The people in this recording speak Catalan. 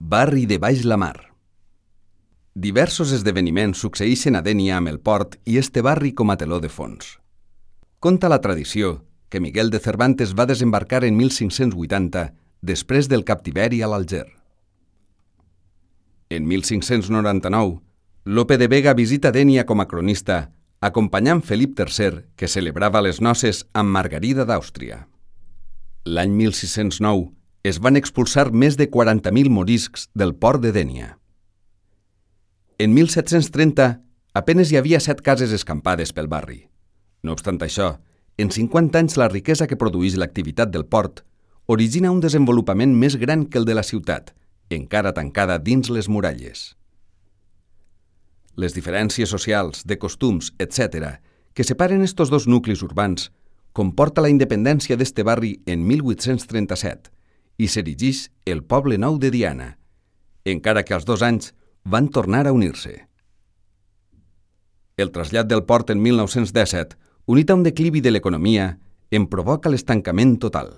Barri de Baix la Mar. Diversos esdeveniments succeeixen a Dénia amb el port i este barri com a teló de fons. Conta la tradició que Miguel de Cervantes va desembarcar en 1580 després del captiveri a l'Alger. En 1599, Lope de Vega visita Dénia com a cronista, acompanyant Felip III, que celebrava les noces amb Margarida d'Àustria. L'any 1609 es van expulsar més de 40.000 moriscs del port de Dénia. En 1730, apenes hi havia 7 cases escampades pel barri. No obstant això, en 50 anys la riquesa que produeix l'activitat del port origina un desenvolupament més gran que el de la ciutat, encara tancada dins les muralles. Les diferències socials, de costums, etc., que separen estos dos nuclis urbans, comporta la independència d'este barri en 1837 i s'erigeix el Poble Nou de Diana, encara que als 2 anys van tornar a unir-se. El trasllat del port en 1917, unit a un declivi de l'economia, en provoca l'estancament total.